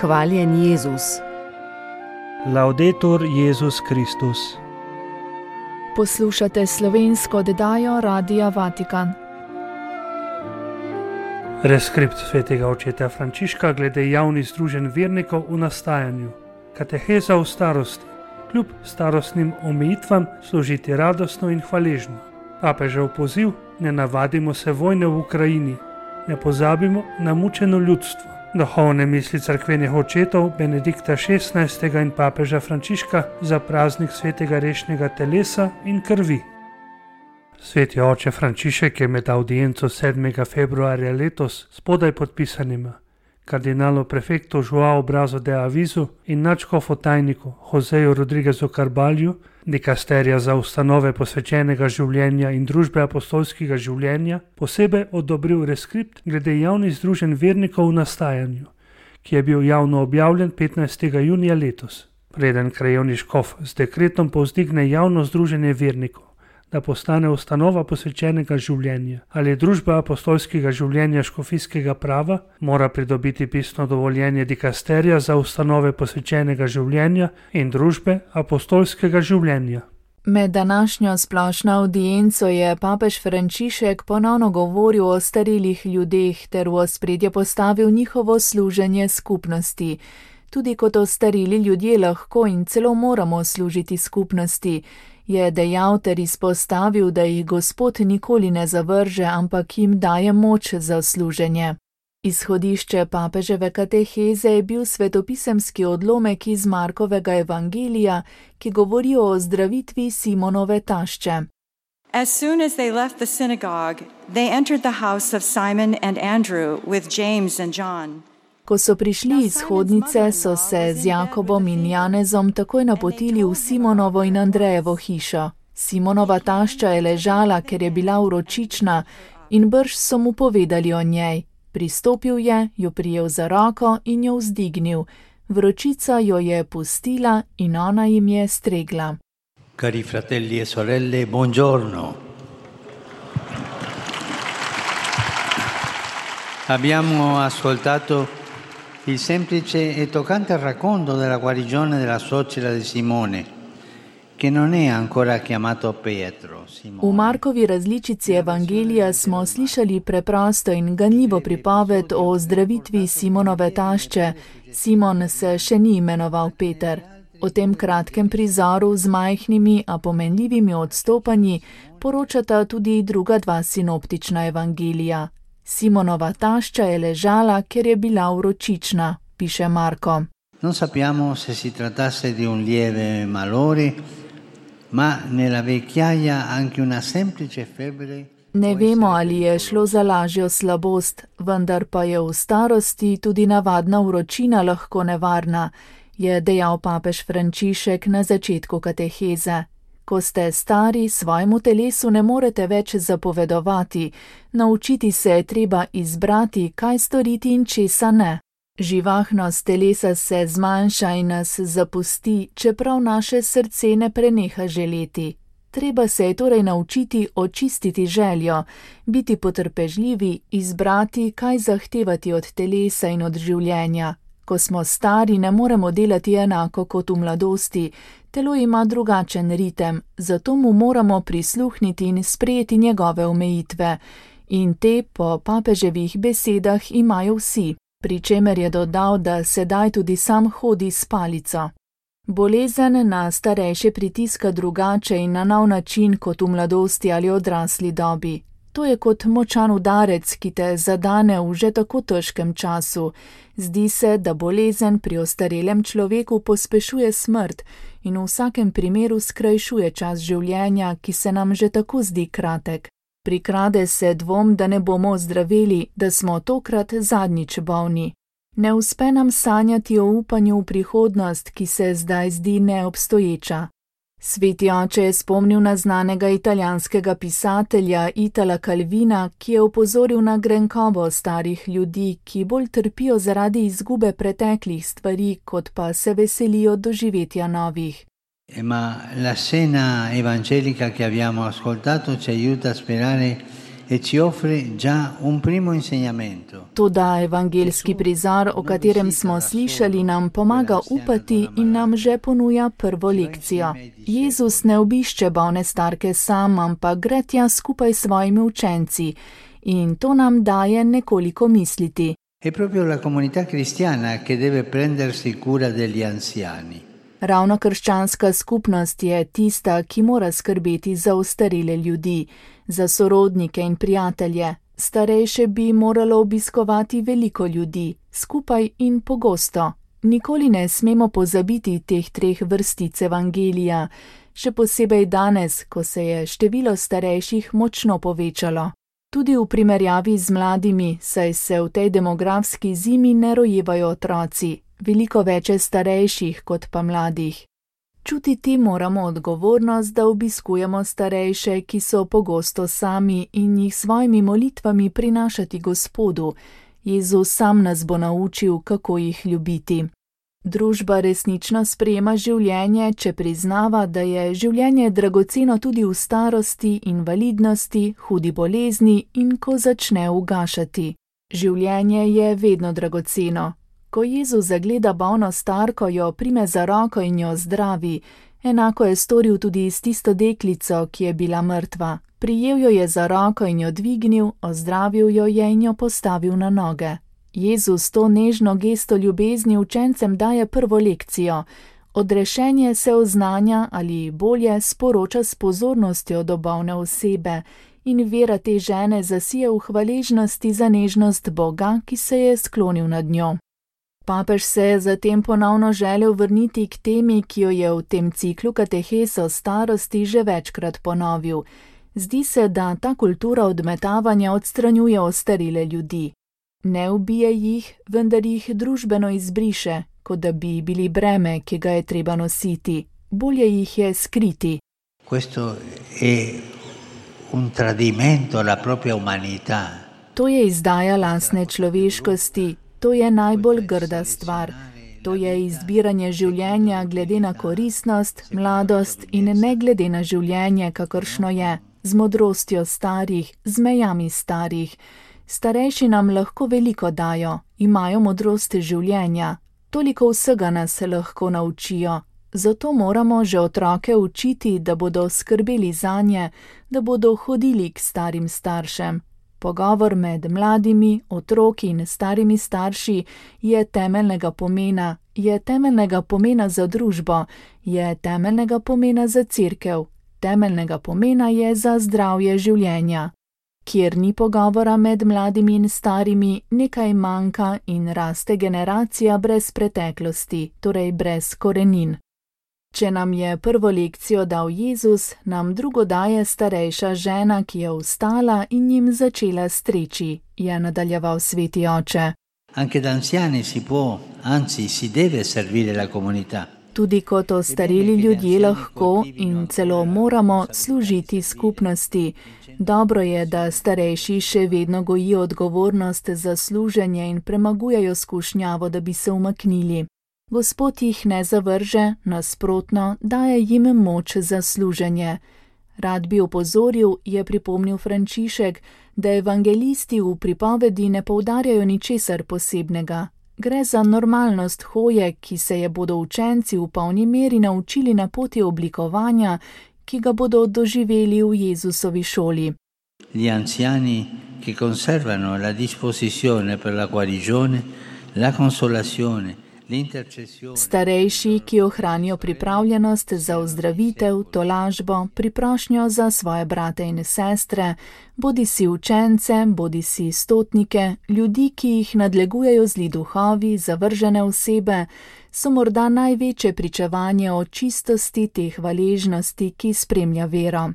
Hvaljen Jezus. Laudetur Jezus Kristus. Poslušate slovensko oddajo Radia Vatikan. Reskript svetega očeta Frančiška glede javnih združenj vernikov v nastajanju. Kateheza v starosti. Kljub starostnim omejitvam služiti radostno in hvaležno. Papežev poziv: ne navadimo se vojne v Ukrajini. Ne pozabimo na mučeno ljudstvo. Duhovne misli cerkvenih očetov Benedikta XVI. In papeža Frančiška za praznik svetega rešnega telesa in krvi. Sveti oče Frančišek je med audienco 7. februarja letos spodaj podpisanima kardinalu prefektu Joao Brazo de Avizu in nadškofu tajniku Joseju Rodriguezu Carbalju, dikasterija za ustanove posvečenega življenja in družbe apostolskega življenja, posebej odobril reskript glede javnih združenj vernikov v nastajanju, ki je bil javno objavljen 15. junija letos. Preden krajevni škof z dekretom povzdigne javno združenje vernikov, da postane ustanova posvečenega življenja ali družba apostolskega življenja škofijskega prava, mora pridobiti pisno dovoljenje dikasterija za ustanove posvečenega življenja in družbe apostolskega življenja. Med današnjo splošno audienco je papež Frančišek ponovno govoril o starelih ljudeh ter v ospredje postavil njihovo služenje skupnosti. Tudi kot ostareli ljudje lahko in celo moramo služiti skupnosti, je dejal ter izpostavil, da jih Gospod nikoli ne zavrže, ampak jim daje moč za služenje. Izhodišče papeževe kateheze je bil svetopisemski odlomek iz Markovega evangelija, ki govori o ozdravitvi Simonove tašče. As soon as they left the synagogue, they entered the house of Simon and Andrew with James and John. Ko so prišli iz hodnice, so se z Jakobom in Janezom takoj napotili v Simonovo in Andrejevo hišo. Simonova tašča je ležala, ker je bila vročična, in brž so mu povedali o njej. Pristopil je, jo prijel za roko in jo vzdignil. Vročica jo je pustila in ona jim je stregla. Cari fratelli e sorelle, buongiorno. Abbiamo ascoltato il semplice e toccante racconto della guarigione della suocera di Simone, che non è ancora chiamato Pietro. V Markovi različici evangelija smo slišali preprosto in ganljivo pripoved o ozdravitvi Simonove tašče. Simon se še ni imenoval Peter. O tem kratkem prizoru z majhnimi, a pomenljivimi odstopanji poročata tudi druga dva sinoptična evangelija. Simonova tašča je ležala, ker je bila vročična, piše Marko. Non sappiamo se si trattasse di un lieve malore, ma nella vecchiaia anche una semplice febbre. Ne vemo, ali je šlo za lažjo slabost, vendar pa je v starosti tudi navadna vročina lahko nevarna, je dejal papež Frančišek na začetku kateheze. Ko ste stari, svojemu telesu ne morete več zapovedovati, naučiti se je treba izbrati, kaj storiti in česa ne. Živahnost telesa se zmanjša in nas zapusti, čeprav naše srce ne preneha želeti. Treba se je torej naučiti očistiti željo, biti potrpežljivi, izbrati, kaj zahtevati od telesa in od življenja. Ko smo stari, ne moremo delati enako kot v mladosti, telo ima drugačen ritem, zato mu moramo prisluhniti in sprejeti njegove omejitve. In te, po papeževih besedah, imajo vsi, pri čemer je dodal, da sedaj tudi sam hodi s palico. Bolezen na starejše pritiska drugače in na nov način kot v mladosti ali odrasli dobi. To je kot močan udarec, ki te zadane v že tako težkem času. Zdi se, da bolezen pri ostarelem človeku pospešuje smrt in v vsakem primeru skrajšuje čas življenja, ki se nam že tako zdi kratek. Prikrade se dvom, da ne bomo ozdraveli, da smo tokrat zadnjič bolni. Ne uspe nam sanjati o upanju v prihodnost, ki se zdaj zdi neobstoječa. Sveti oče je spomnil na znanega italijanskega pisatelja Itala Calvina, ki je opozoril na grenkobo starih ljudi, ki bolj trpijo zaradi izgube preteklih stvari, kot pa se veselijo doživetja novih. Ma la scena evangelica che abbiamo ascoltato ci aiuta a sperare e ci offre già un primo insegnamento. Toda evangeljski prizor, o katerem smo slišali, nam pomaga upati in nam že ponuja prvo lekcijo. Jezus ne obišče bolne starke sam, ampak gre tja skupaj s svojimi učenci. In to nam daje nekoliko misliti. È proprio la comunità cristiana che deve prendersi cura degli anziani. Ravno krščanska skupnost je tista, ki mora skrbeti za ostarele ljudi, za sorodnike in prijatelje. Starejše bi moralo obiskovati veliko ljudi, skupaj in pogosto. Nikoli ne smemo pozabiti teh 3 vrstic evangelija, še posebej danes, ko se je število starejših močno povečalo. Tudi v primerjavi z mladimi, saj se v tej demografski zimi ne rojevajo otroci, veliko več je starejših kot pa mladih. Čutiti moramo odgovornost, da obiskujemo starejše, ki so pogosto sami in jih svojimi molitvami prinašati Gospodu. Jezus sam nas bo naučil, kako jih ljubiti. Družba resnično sprejema življenje, če priznava, da je življenje dragoceno tudi v starosti, invalidnosti, hudi bolezni in ko začne ugašati. Življenje je vedno dragoceno. Ko Jezus zagleda bolno starko, jo prime za roko in jo zdravi. Enako je storil tudi s tisto deklico, ki je bila mrtva. Prijel jo je za roko in jo dvignil, ozdravil jo je in jo postavil na noge. Jezus to nežno gesto ljubezni učencem daje prvo lekcijo. Odrešenje se oznanja ali bolje sporoča s pozornostjo do bolne osebe in vera te žene zasije v hvaležnosti za nežnost Boga, ki se je sklonil nad njo. Papež se je zatem ponovno želel vrniti k temi, ki jo je v tem ciklu katehes o starosti že večkrat ponovil. Zdi se, da ta kultura odmetavanja odstranjuje ostarele ljudi. Ne ubije jih, vendar jih družbeno izbriše, kot da bi bili breme, ki ga je treba nositi. Bolje jih je skriti. Questo è un tradimento alla propria umanità. To je izdaja lastne človeškosti, to je najbolj grda stvar. To je izbiranje življenja glede na koristnost, mladost in ne glede na življenje, kakršno je, z modrostjo starih, z mejami starih. Starejši nam lahko veliko dajo, imajo modrost življenja, toliko vsega nas lahko naučijo. Zato moramo že otroke učiti, da bodo skrbeli zanje, da bodo hodili k starim staršem. Pogovor med mladimi, otroki in starimi starši je temeljnega pomena za družbo, je temeljnega pomena za cerkev, temeljnega pomena je za zdravje življenja. Kjer ni pogovora med mladimi in starimi, nekaj manjka in raste generacija brez preteklosti, torej brez korenin. Če nam je prvo lekcijo dal Jezus, nam drugo daje starejša žena, ki je vstala in jim začela streči, je nadaljeval sveti oče. Anche da anziani si può, anzi si deve servire la comunità. Tudi kot ostareli ljudje lahko in celo moramo služiti skupnosti. Dobro je, da starejši še vedno gojijo odgovornost za služenje in premagujejo skušnjavo, da bi se umaknili. Gospod jih ne zavrže, nasprotno, daje jim moč za služenje. Rad bi opozoril, je pripomnil Frančišek, da evangelisti v pripovedi ne poudarjajo ničesar posebnega. Gre za normalnost hoje, ki se je bodo učenci v polni meri naučili na poti oblikovanja, ki ga bodo doživeli v Jezusovi šoli. Gli anziani che conservano la disposizione per la guarigione, la consolazione, l'intercessione. Starejši, ki ohranijo pripravljenost za ozdravitev, tolažbo, priprošnjo za svoje brate in sestre, bodisi učence, bodisi stotnike, ljudi, ki jih nadlegujejo zli duhovi, zavržene osebe, so morda največje pričevanje o čistosti te hvaležnosti, ki spremlja vero.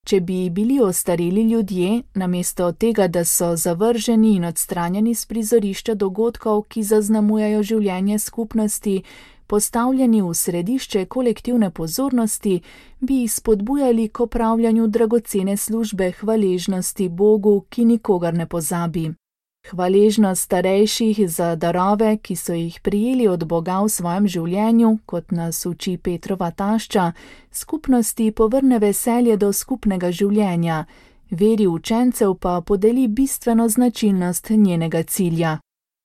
Če bi bili ostareli ljudje, namesto tega, da so zavrženi in odstranjeni z prizorišča dogodkov, ki zaznamujejo življenje skupnosti, postavljeni v središče kolektivne pozornosti, bi jih spodbujali k opravljanju dragocene službe hvaležnosti Bogu, ki nikogar ne pozabi. Hvaležnost starejših za darove, ki so jih prijeli od Boga v svojem življenju, kot nas uči Petrova tašča, skupnosti povrne veselje do skupnega življenja. Veri učencev pa podeli bistveno značilnost njenega cilja.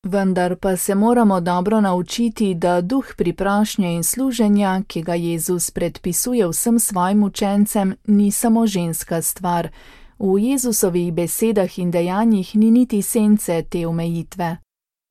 Vendar pa se moramo dobro naučiti, da duh priprošnje in služenja, ki ga Jezus predpisuje vsem svojim učencem, ni samo ženska stvar. V Jezusovih besedah in dejanjih ni niti sence te omejitve.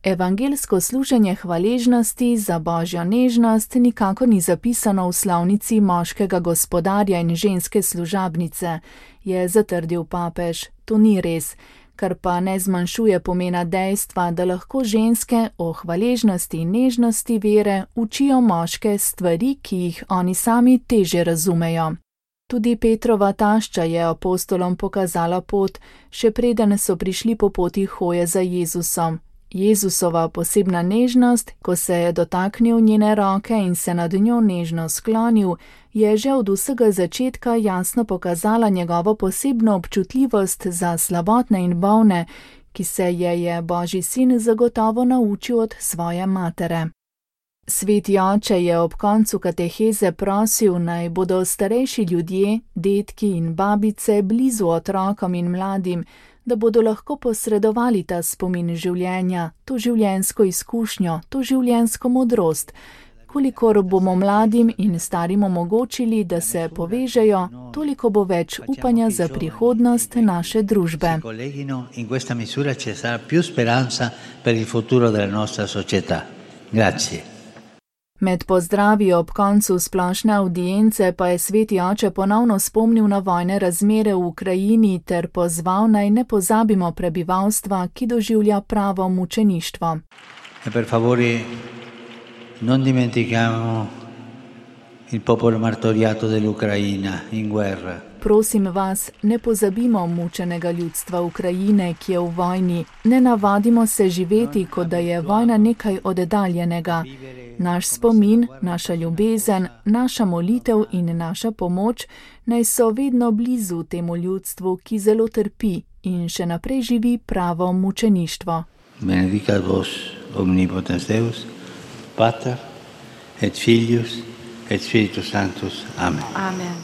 Evangelsko služenje hvaležnosti za Božjo nežnost nikako ni zapisano v slovnici moškega gospodarja in ženske služabnice, je zatrdil papež. To ni res, kar pa ne zmanjšuje pomena dejstva, da lahko ženske o hvaležnosti in nežnosti vere učijo moške stvari, ki jih oni sami teže razumejo. Tudi Petrova tašča je apostolom pokazala pot, še preden so prišli po poti hoje za Jezusom. Jezusova posebna nežnost, ko se je dotaknil njene roke in se nad njo nežno sklonil, je že od vsega začetka jasno pokazala njegovo posebno občutljivost za slabotne in bolne, ki se je Božji sin zagotovo naučil od svoje matere. Sveti oče je ob koncu kateheze prosil, naj bodo starejši ljudje, dedki in babice blizu otrokom in mladim, da bodo lahko posredovali ta spomin življenja, to življenjsko izkušnjo, to življenjsko modrost. Kolikor bomo mladim in starim omogočili, da se povežejo, toliko bo več upanja za prihodnost naše družbe. Med pozdravi ob koncu splošne avdience pa je sveti oče ponovno spomnil na vojne razmere v Ukrajini ter pozval, naj ne pozabimo prebivalstva, ki doživlja pravo mučeništvo. Per favore, non dimentichiamo il popolo martoriato dell'Ucraina in guerra. Prosim vas, ne pozabimo mučenega ljudstva Ukrajine, ki je v vojni. Ne navadimo se živeti, kot da je vojna nekaj oddaljenega. Naš spomin, naša ljubezen, naša molitev in naša pomoč naj so vedno blizu temu ljudstvu, ki zelo trpi in še naprej živi pravo mučeništvo. Benedicat vos omnipotens Deus, Pater et Filius et Spiritus Sanctus. Amen. Amen.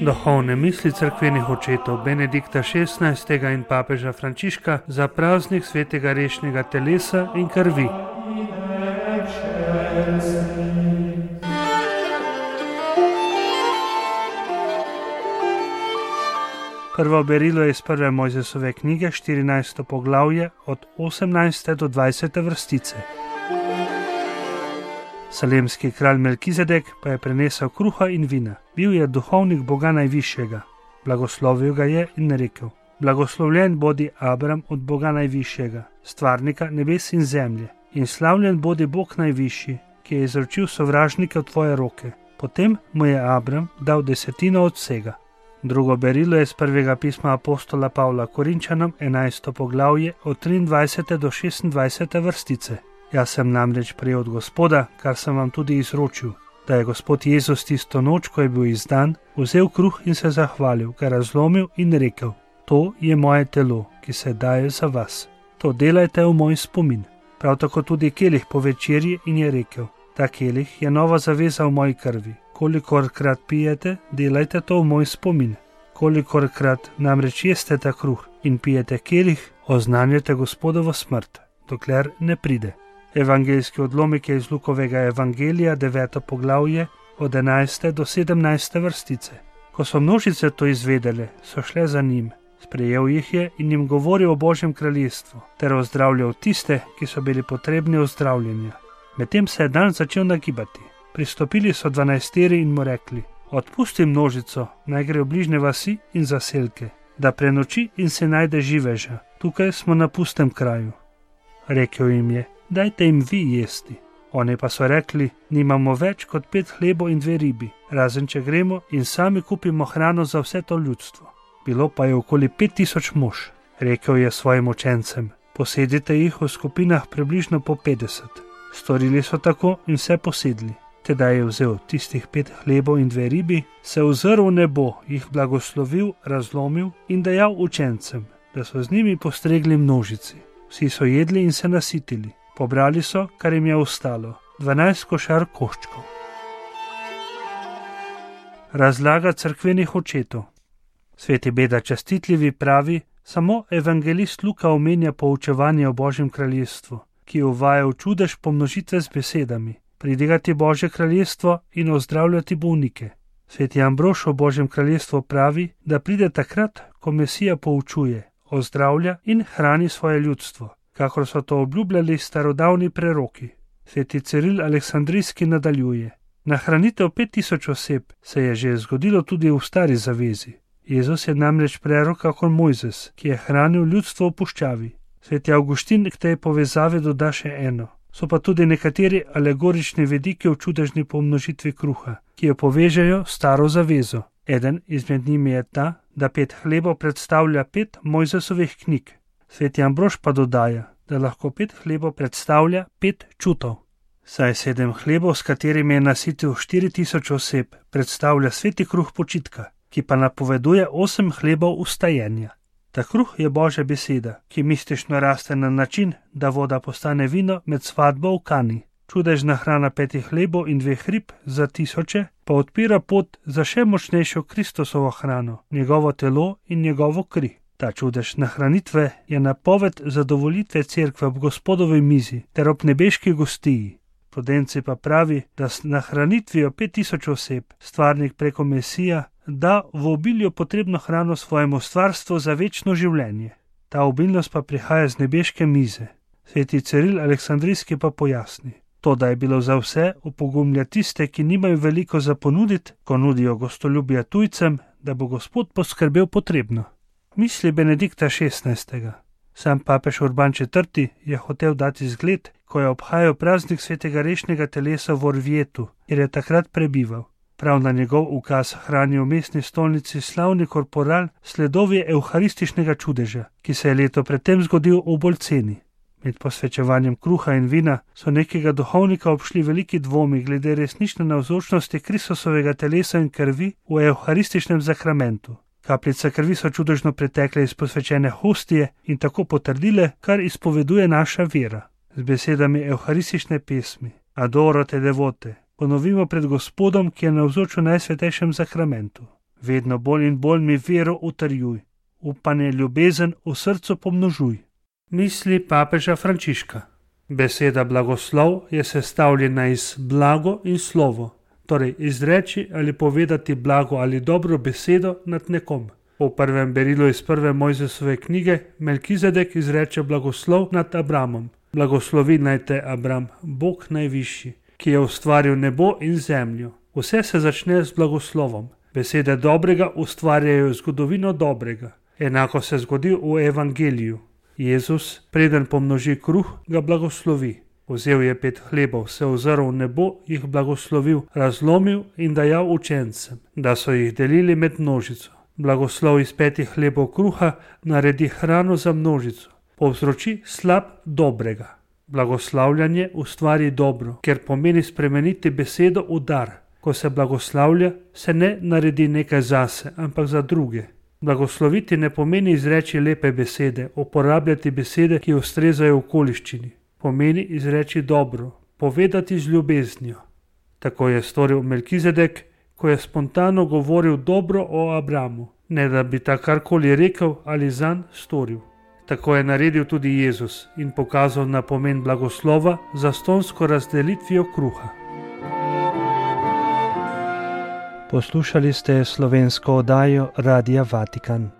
Duhovne misli cerkvenih očetov Benedikta XVI. In papeža Frančiška za praznik svetega rešnega telesa in krvi. Prvo berilo je iz prve Mojzesove knjige, 14. poglavje, od 18. do 20. vrstice. Salemski kralj Melkizedek pa je prenesel kruha in vina. Bil je duhovnik Boga Najvišjega. Blagoslovil ga je in rekel: Blagoslovljen bodi Abram od Boga Najvišjega, stvarnika nebes in zemlje, in slavljen bodi Bog Najvišji, ki je izročil sovražnike v tvoje roke. Potem mu je Abram dal desetino od vsega. Drugo berilo je iz prvega pisma apostola Pavla Korinčanom, 11. poglavje, od 23. do 26. vrstice. Jaz sem namreč prejel od Gospoda, kar sem vam tudi izročil, da je Gospod Jezus tisto noč, ko je bil izdan, vzel kruh in se zahvalil, ga razlomil in rekel: To je moje telo, ki se daje za vas. To delajte v moj spomin. Prav tako tudi kelih po večerji in je rekel: Ta kelih je nova zaveza v moji krvi. Kolikorkrat pijete, delajte to v moj spomin. Kolikorkrat namreč jeste ta kruh in pijete kelih, oznanjate Gospodovo smrt, dokler ne pride. Evangeljski odlomek je iz Lukovega evangelija, 9. poglavje, od 11. do 17. vrstice. Ko so množice to izvedele, so šle za njim. Sprejel jih je in jim govoril o Božjem kraljestvu, ter ozdravljal tiste, ki so bili potrebni ozdravljenja. Medtem se je dan začel nagibati. Pristopili so 12 in mu rekli: Odpusti množico, naj gre v bližnje vasi in zaselke, da prenoči in se najde živeža. Tukaj smo na pustem kraju. Rekel jim je: Dajte jim vi jesti. Oni pa so rekli: Nimamo več kot 5 hlebov in 2 ribi, razen če gremo in sami kupimo hrano za vse to ljudstvo. Bilo pa je okoli 5000 mož. Rekel je svojim učencem: Posedite jih v skupinah približno po 50. Storili so tako in vse posedli. Tedaj je vzel tistih 5 hlebov in 2 ribi, se ozrl v nebo, jih blagoslovil, razlomil in dajal učencem, da so z njimi postregli množici. Vsi so jedli in se nasitili. Pobrali so, kar jim je ostalo, 12 košar koščkov. Razlaga cerkvenih očetov. Sveti Beda Častitljivi pravi, samo evangelist Luka omenja poučevanje o Božjem kraljestvu, ki uvaja v čudež pomnožitve z besedami: pridigati Božje kraljestvo in ozdravljati bolnike. Sveti Ambrož o Božjem kraljestvu pravi, da pride takrat, ko Mesija poučuje, ozdravlja in hrani svoje ljudstvo, kakor so to obljubljali starodavni preroki. Sveti Ciril Aleksandrijski nadaljuje: nahranitev 5000 oseb se je že zgodilo tudi v stari zavezi. Jezus je namreč prerok kakor Mojzes, ki je hranil ljudstvo v puščavi. Sveti Avguštin k tej povezavi doda še eno. So pa tudi nekateri alegorični vidiki v čudežni pomnožitvi kruha, ki jo povežejo s staro zavezo. Eden izmed njimi je ta, da 5 hlebov predstavlja 5 Mojzesovih knjig. Sveti Ambrož pa dodaja, da lahko 5 hlebov predstavlja 5 čutov. Saj 7 hlebov, s katerimi je nasitil 4000 oseb, predstavlja sveti kruh počitka, ki pa napoveduje 8 hlebov ustajenja. Ta kruh je Božja beseda, ki mistično raste na način, da voda postane vino med svatbo v Kani. Čudežna hrana 5 hlebov in 2 rib za tisoče pa odpira pot za še močnejšo Kristusovo hrano, njegovo telo in njegovo kri. Ta čudež nahranitve je napoved zadovoljitve cerkve ob Gospodovi mizi ter ob nebeški gostiji. Prudenci pa pravi, da s nahranitvijo 5000 oseb stvarnik preko Mesija da v obilju potrebno hrano svojemu stvarstvu za večno življenje. Ta obilnost pa prihaja z nebeške mize. Sveti Ciril Aleksandrijski pa pojasni: to, da je bilo za vse, opogumlja tiste, ki nimajo veliko za ponuditi, ko nudijo gostoljubje tujcem, da bo Gospod poskrbel potrebno. Misli Benedikta XVI. Sam papež Urban IV. Je hotel dati zgled, ko je obhajal praznik svetega rešnega telesa v Orvietu, kjer je takrat prebival. Prav na njegov ukaz hrani v mestni stolnici slavni korporal sledovi evharističnega čudeža, ki se je leto predtem zgodil v Bolceni. Med posvečevanjem kruha in vina so nekega duhovnika obšli veliki dvomi glede resnične navzočnosti Kristusovega telesa in krvi v evharističnem zakramentu. Kapljice krvi so čudežno pretekle iz posvečene hostije in tako potrdile, kar izpoveduje naša vera. Z besedami evharistične pesmi Adoro te devote ponovimo pred Gospodom, ki je navzoč v najsvetejšem zakramentu. Vedno bolj in bolj mi vero utrjuj, upanje, ljubezen v srcu pomnožuj. Misli papeža Frančiška. Beseda blagoslov je sestavljena iz blago in slovo, torej izreči ali povedati blago ali dobro besedo nad nekom. Po prvem berilu iz 1. Mojzesove knjige Melkizedek izreče blagoslov nad Abramom. Blagoslovi naj te Abram, Bog najvišji, ki je ustvaril nebo in zemljo. Vse se začne z blagoslovom. Besede dobrega ustvarjajo zgodovino dobrega. Enako se zgodi v evangeliju. Jezus, preden pomnoži kruh, ga blagoslovi. Vzel je 5 hlebov, se ozrl v nebo, jih blagoslovil, razlomil in dajal učencem, da so jih delili med množico. Blagoslov iz 5 hlebov kruha naredi hrano za množico. Povzroči slab dobrega. Blagoslavljanje ustvari dobro, ker pomeni spremeniti besedo v dar. Ko se blagoslavlja, se ne naredi nekaj zase, ampak za druge. Blagosloviti ne pomeni izreči lepe besede, uporabljati besede, ki ustrezajo okoliščini. Pomeni izreči dobro, povedati z ljubeznijo. Tako je storil Melkizedek, ko je spontano govoril dobro o Abramu, ne da bi ta karkoli rekel ali zanj storil. Tako je naredil tudi Jezus in pokazal na pomen blagoslova za stonsko razdelitvijo kruha. Poslušali ste slovensko oddajo Radia Vatikan.